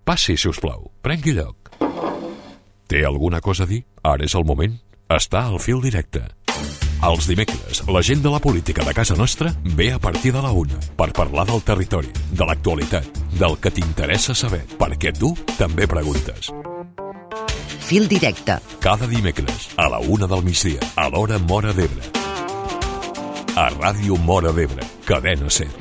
Passi, si us plau. Prengui lloc. Té alguna cosa a dir? Ara és el moment. Està al fil directe. Els dimecres, la gent de la política de casa nostra ve a partir de la 1 per parlar del territori, de l'actualitat, del que t'interessa saber, perquè tu també preguntes. Fil directe. Cada dimecres, a la 1 del migdia, a l'hora Móra d'Ebre. A Ràdio Móra d'Ebre, Cadena SER.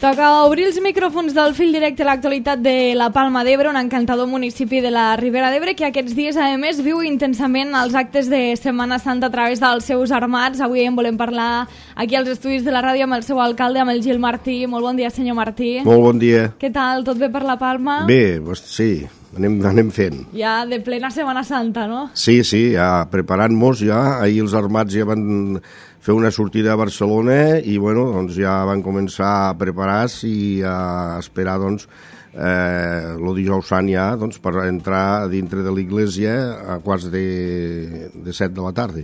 Toca obrir els micròfons del fil directe a l'actualitat de la Palma d'Ebre, un encantador municipi de la Ribera d'Ebre que aquests dies, a més, viu intensament els actes de Setmana Santa a través dels seus armats. Avui en volem parlar aquí als estudis de la ràdio amb el seu alcalde, amb el Gil Martí. Molt bon dia, senyor Martí. Molt bon dia. Què tal? Tot bé per la Palma? Bé, sí, anem fent. Ja de plena Setmana Santa, no? Sí, ja preparant-nos ja. Ahir els armats ja van fer una sortida a Barcelona i bueno, doncs ja van començar a preparar-se i a esperar doncs, el dijous sant ja doncs, per entrar dintre de l'església a quarts de 7 de la tarda.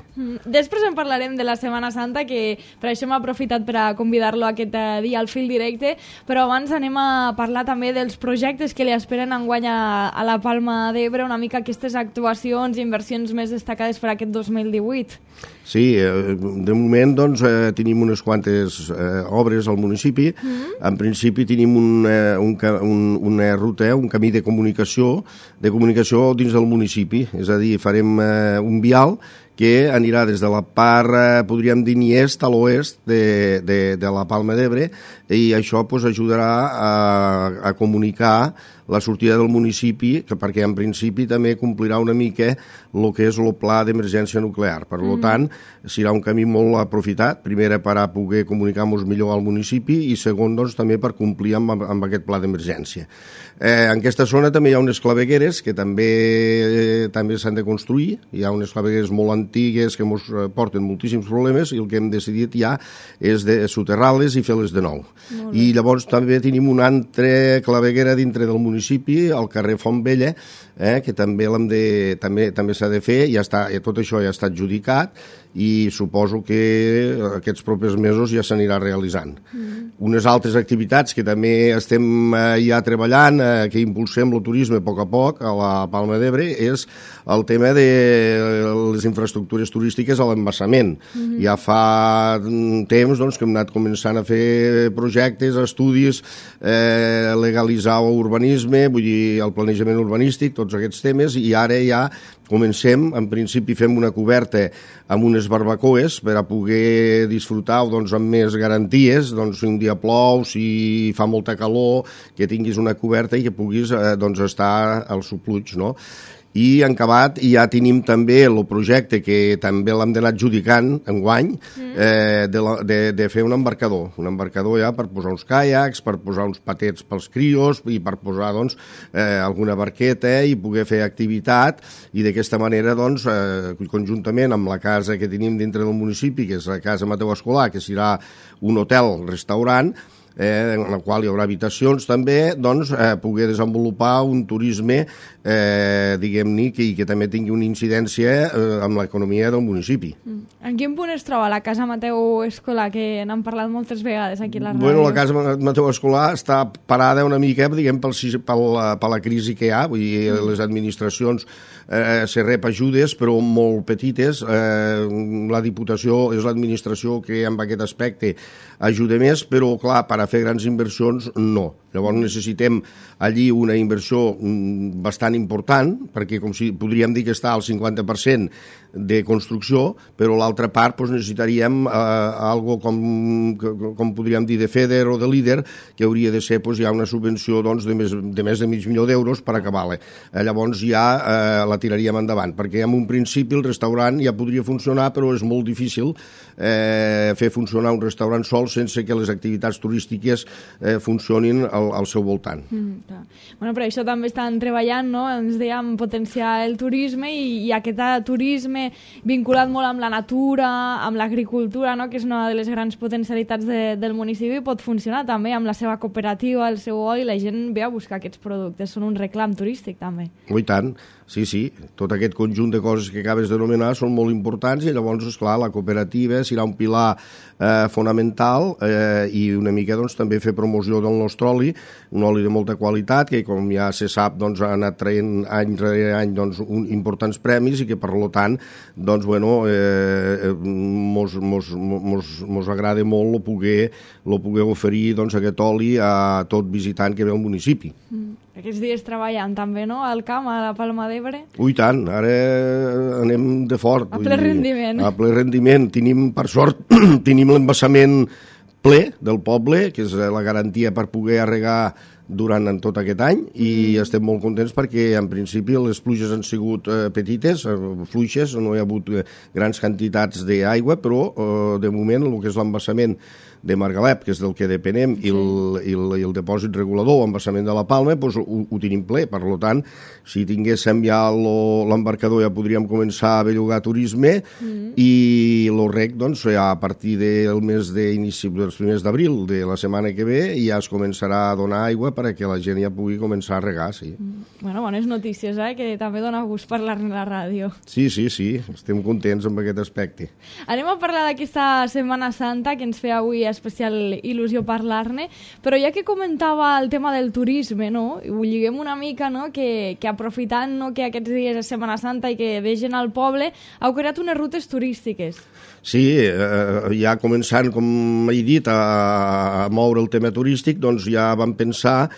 Després en parlarem de la Setmana Santa, que per això m'ha aprofitat per a convidar-lo aquest dia al fil directe, però abans anem a parlar també dels projectes que li esperen enguany a la Palma d'Ebre, una mica aquestes actuacions i inversions més destacades per aquest 2018. Sí, de moment doncs, tenim unes quantes obres al municipi. En principi tenim una ruta, un camí de comunicació dins del municipi. És a dir, farem un vial que anirà des de la part, podríem dir, ni est a l'oest de la Palma d'Ebre, i això pues, ajudarà a comunicar la sortida del municipi, perquè en principi també complirà una mica el que és el pla d'emergència nuclear. Per tant, serà un camí molt aprofitat, primer per a poder comunicar-nos millor al municipi i segon, doncs, també per complir amb aquest pla d'emergència. En aquesta zona també hi ha unes clavegueres que també s'han de construir. Hi ha unes clavegueres molt antigues que ens porten moltíssims problemes i el que hem decidit ja és de soterrar-les i fer-les de nou. I llavors també tenim una altra claveguera dintre del municipi, al carrer Font Vella, que també s'ha de fer, tot això ja està adjudicat i suposo que aquests propers mesos ja s'anirà realitzant. Unes altres activitats que també estem ja treballant, que impulsem el turisme a poc a la Palma d'Ebre, és el tema de les infraestructures turístiques a l'embassament. Ja fa temps doncs, que hem anat començant a fer projectes, estudis, legalitzar urbanisme, vull dir, el planejament urbanístic, tots aquests temes, i ara ja comencem, en principi fem una coberta amb unes barbacoes per a poder disfrutar doncs, amb més garanties, doncs, si un dia plou, si fa molta calor, que tinguis una coberta i que puguis doncs, estar al supluig, no? I en acabat ja tenim també el projecte que també l'hem d'anar adjudicant enguany de fer un embarcador ja per posar uns caiacs, per posar uns patets pels crios i per posar doncs, alguna barqueta i poder fer activitat i d'aquesta manera doncs, conjuntament amb la casa que tenim dintre del municipi, que és la Casa Mateu Escolà, que serà un hotel-restaurant, en la qual hi haurà habitacions també, doncs poder desenvolupar un turisme diguem-ne que també tingui una incidència amb l'economia del municipi. En quin punt es troba la Casa Mateu Escolà, que n'hem parlat moltes vegades aquí a la ràdio? Bueno, la Casa Mateu Escolà està parada una mica, diguem, per la crisi que hi ha, vull dir, les administracions se rep ajudes, però molt petites. La Diputació és l'administració que en aquest aspecte ajuda més, però clar, per a fer grans inversions no. Llavors necessitem allí una inversió bastant important, perquè com si podríem dir que està al 50% de construcció, però l'altra part doncs, necessitaríem algo com podríem dir de FEDER o de LIDER, que hauria de ser doncs, ja una subvenció doncs, de més de $500.000 per acabar-la. Llavors ja la tiraríem endavant, perquè en un principi el restaurant ja podria funcionar, però és molt difícil fer funcionar un restaurant sol sense que les activitats turístiques funcionin al al seu voltant. Bueno, però això també estan treballant, no? Ens dèiem potenciar el turisme i aquest turisme vinculat molt amb la natura, amb l'agricultura, no? Que és una de les grans potencialitats del municipi, pot funcionar també amb la seva cooperativa, el seu oli, la gent ve a buscar aquests productes, són un reclam turístic també. I tant, sí, tot aquest conjunt de coses que acabes d'anomenar són molt importants i llavors, esclar, la cooperativa serà un pilar fonamental i una mica doncs, també fer promoció del nostre oli, un oli de molta qualitat que com ja se sap doncs, ha anat traient any rere any doncs, importants premis i que per tant doncs, bueno, mos agrada molt poder oferir doncs, aquest oli a tot visitant que ve al municipi. Aquests dies treballant també, no?, al camp, a la Palma d'Ebre. Ui, tant, ara anem de fort. A ple rendiment. A ple rendiment. Tenim, per sort, tenim l'embassament ple del poble, que és la garantia per poder arregar durant tot aquest any i estem molt contents perquè en principi les pluges han sigut petites, fluixes, no hi ha hagut grans quantitats d'aigua, però de moment el que és l'embassament de Margalep, que és del que depenem, i el depòsit regulador o embassament de la Palma, doncs ho tenim ple. Per tant, si tinguéssim ja l'embarcador ja podríem començar a bellugar turisme i el rec, doncs, ja a partir del mes d'inici dels primers d'abril de la setmana que ve ja es començarà a donar aigua perquè la gent ja pugui començar a regar, sí. Bueno, bones notícies, que també dona gust parlar-ne a la ràdio. Sí, estem contents amb aquest aspecte. Anem a parlar d'aquesta Setmana Santa, que ens feia avui especial il·lusió parlar-ne, però ja que comentava el tema del turisme, no? Ho lliguem una mica, no? Que aprofitant, no, que aquests dies és Setmana Santa i que vegen al poble, heu creat unes rutes turístiques. Sí, ja començant, com he dit, a moure el tema turístic, doncs ja vam pensar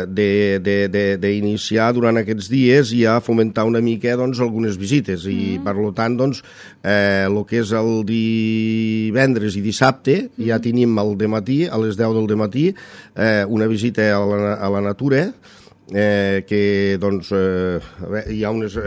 d'iniciar durant aquests dies i a fomentar una mica doncs, algunes visites i per tant doncs, el que és el divendres i dissabte ja tenim al dematí, a les 10 del dematí, una visita a la natura que doncs hi ha unes...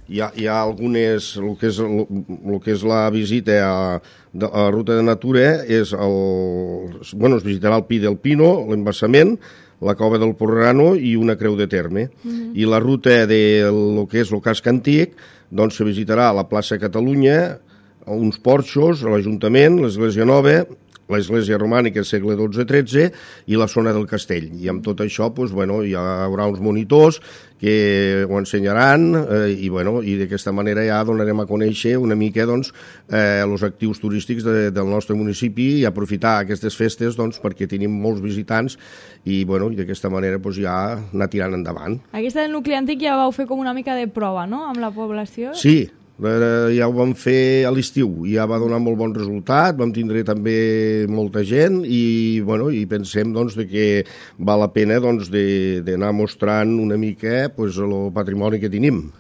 Hi ha algunes, el que és la visita a la ruta de natura és es visitarà el Pi del Pino, l'embassament, la Cova del Porrano i una creu de terme. I la ruta del que és el casc antic, doncs se visitarà la plaça Catalunya, uns porxos, l'Ajuntament, l'Església Nova, l'església romànica segle XII-XIII i la zona del castell. I amb tot això doncs, hi haurà uns monitors que ho ensenyaran i d'aquesta manera ja donarem a conèixer una mica els actius turístics del nostre municipi i aprofitar aquestes festes perquè tenim molts visitants i d'aquesta manera ja anar tirant endavant. Aquesta del nucli antic ja vau fer com una mica de prova, no?, amb la població? Sí, ja ho vam fer a l'estiu i ja va donar molt bon resultat, vam tindre també molta gent i pensem que val la pena d'anar mostrant una mica el patrimoni que tenim.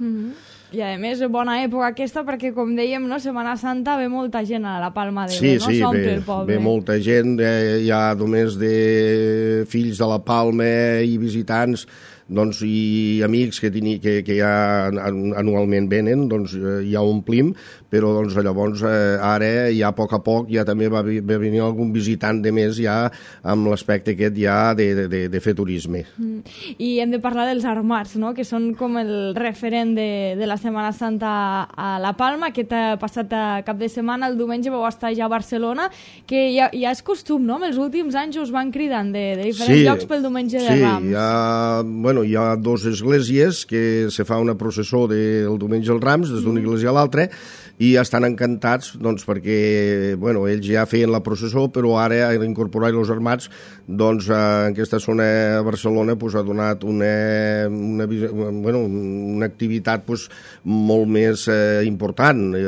I a més, bona època aquesta perquè, com dèiem, Setmana Santa ve molta gent a la Palma d'Ebre, no? S'omple el poble. Ve molta gent, hi ha només de fills de la Palma i visitants i amics que ja anualment venen, ja omplim, però llavors ara ja a poc ja també va venir algun visitant de més ja amb l'aspecte aquest ja de fer turisme. I hem de parlar dels armats, no?, que són com el referent de la Setmana Santa a la Palma. Aquest passat cap de setmana, el diumenge, vau estar ja a Barcelona, que ja és costum, no?, en els últims anys us van cridant de diferents llocs pel diumenge de Rams. Sí, hi ha dues esglésies que se fa una processó del diumenge als Rams, des d'una església a l'altra, i estan encantats perquè ells ja feien la processó, però ara incorporar els armats en aquesta zona de Barcelona ha donat una activitat molt més important.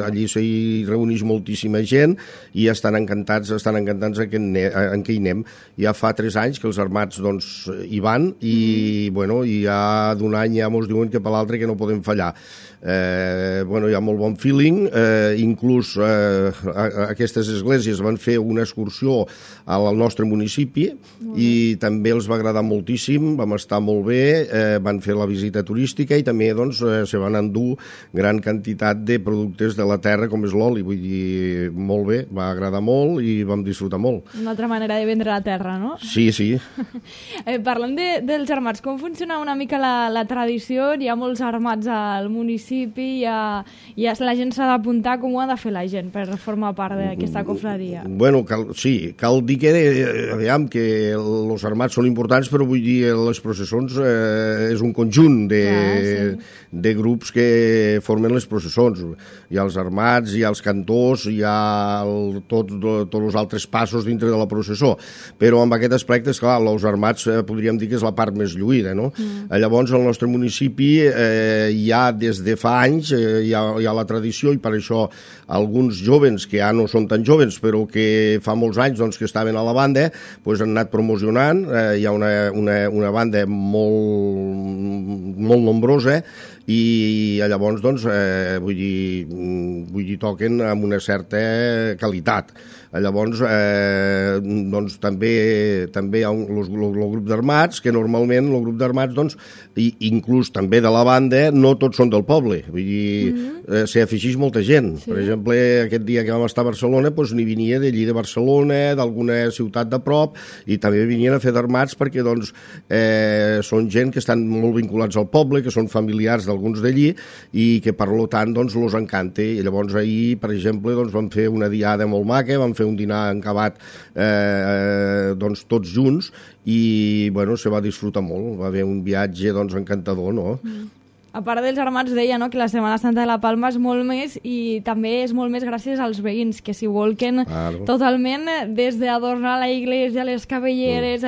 Allí s'hi reuneix moltíssima gent i estan encantats en què hi anem. Ja fa 3 anys que els armats hi van i i ja d'un any ja ens diuen que per l'altre que no podem fallar. Hi ha molt bon feeling, inclús aquestes esglésies van fer una excursió al nostre municipi i també els va agradar moltíssim, vam estar molt bé, van fer la visita turística i també se van endur gran quantitat de productes de la terra com és l'oli, vull dir, molt bé, va agradar molt i vam disfrutar molt. Una altra manera de vendre la terra, no? Sí, sí. Parlant dels armats, com funciona una mica la tradició? Hi ha molts armats al municipi, la gent s'ha d'apuntar, com ho ha de fer la gent per formar part d'aquesta cofradia? Bueno, cal dir que, que els armats són importants, però vull dir, les processons és un conjunt de grups que formen les processons. Hi ha els armats, hi ha els cantors, hi ha tots els altres passos dintre de la processó. Però amb aquest aspecte, esclar, els armats podríem dir que és la part més lluïda, no? Llavors, al nostre municipi hi ha des de fa anys, hi ha la tradició, i per això alguns joves que ja no són tan joves, però que fa molts anys que estaven a la banda, han anat promocionant. Hi ha una banda molt nombrosa i llavors vull dir, toquen amb una certa qualitat. Llavors també hi ha el grup d'armats, que normalment el grup d'armats, inclús també de la banda, no tots són del poble, vull dir, s'hi afegeix molta gent. Per exemple, aquest dia que vam estar a Barcelona n'hi venia d'allí de Barcelona, d'alguna ciutat de prop, i també venien a fer d'armats perquè són gent que estan molt vinculats al poble, que són familiars d'alguns d'allí i que per tant els encanta. I llavors ahir, per exemple, vam fer una diada molt maca, vam fer un dinar encabat tots junts i se va disfrutar molt, va haver un viatge encantador, no? A part dels armats, deia que la Setmana Santa de la Palma és molt més, i també és molt més gràcies als veïns, que s'hi volquen totalment, des d'adornar la iglesia, les cabelleres,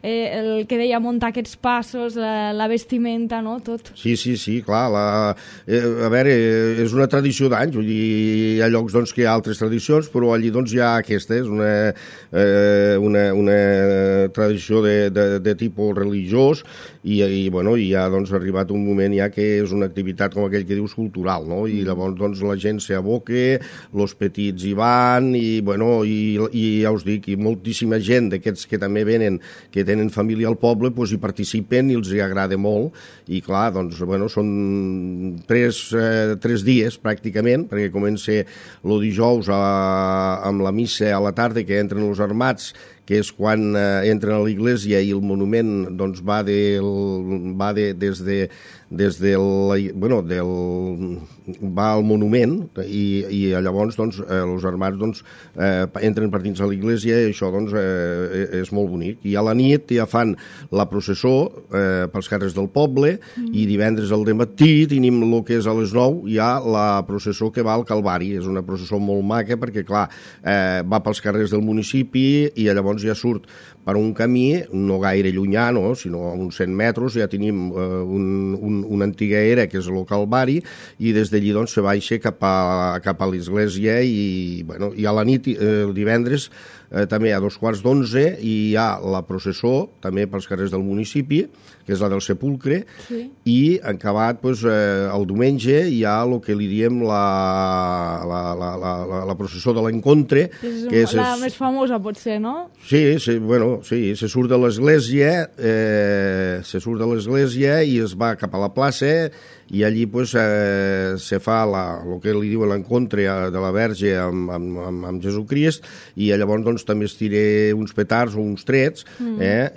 el que deia, muntar aquests passos, la vestimenta, no? Tot. Sí, clar. A veure, és una tradició d'anys, vull dir, hi ha llocs que hi ha altres tradicions, però allí hi ha aquesta, és una tradició de tipus religiós, i ha arribat un moment ja que és una activitat, com aquell que dius, cultural, no? I llavors la gent s'hi aboca, els petits hi van, i ja us dic, i moltíssima gent d'aquests que també venen, que tenen família al poble, hi participen i els hi agrada molt, i clar, són 3 dies pràcticament, perquè comença el dijous amb la missa a la tarda, que entren els armats, que és quan entren a l'església, i el monument va va al monument, i llavors els armats entren per dins a l'església, i això és molt bonic. I a la nit ja fan la processó pels carrers del poble, i divendres al dematí tenim el que és a les 9, hi ha la processó que va al Calvari. És una processó molt maca perquè, clar, va pels carrers del municipi, i llavors ja surt per un camí no gaire llunyà, sinó a uns 100 metres, ja tenim una antiga era, que és el Calvari, i des d'allí se baixa cap a l'església, i a la nit, el divendres, també a 2:15, i hi ha la processó, també pels carrers del municipi, que és la del Sepulcre, i acabat el diumenge hi ha el que li diem la processó de l'Encontre, que és la més famosa, potser, no? Sí, se surt de l'església, i es va cap a la plaça, i allí se fa el que li diuen l'encontre de la Verge amb Jesucrist, i llavors també es tira uns petards o uns trets,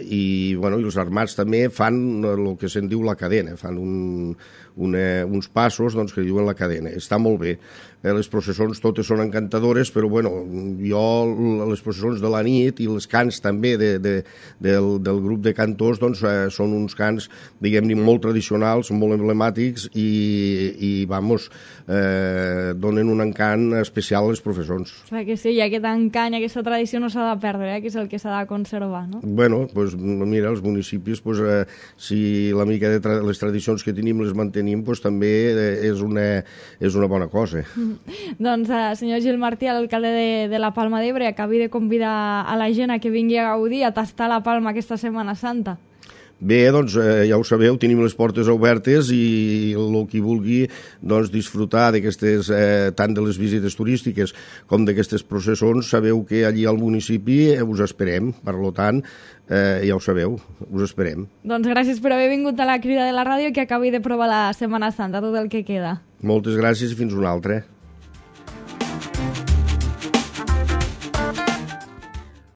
i els armats també fan el que se'n diu la cadena, fan uns passos que diuen la cadena. Està molt bé. Les processons totes són encantadores, però jo les processons de la nit i els cants també del grup de cantors són uns cants, diguem-ne, molt tradicionals, molt emblemàtics, i donen un encant especial a les processons. Clar que sí, i aquest encant i aquesta tradició no s'ha de perdre, que és el que s'ha de conservar, no? Mira, els municipis, si la mica de les tradicions que tenim les mantenim, també és una bona cosa. Doncs, senyor Gil Martí, l'alcalde de la Palma d'Ebre, acabi de convidar a la gent a que vingui a gaudir, a tastar la Palma aquesta Setmana Santa. Bé, doncs ja ho sabeu, tenim les portes obertes i el qui vulgui doncs, disfrutar d'aquestes, tant de les visites turístiques com d'aquestes processons, sabeu que allí al municipi us esperem, per tant, ja ho sabeu, us esperem. Doncs gràcies per haver vingut a la Crida de la Ràdio i que acabi de provar la Setmana Santa, tot el que queda. Moltes gràcies i fins una altra.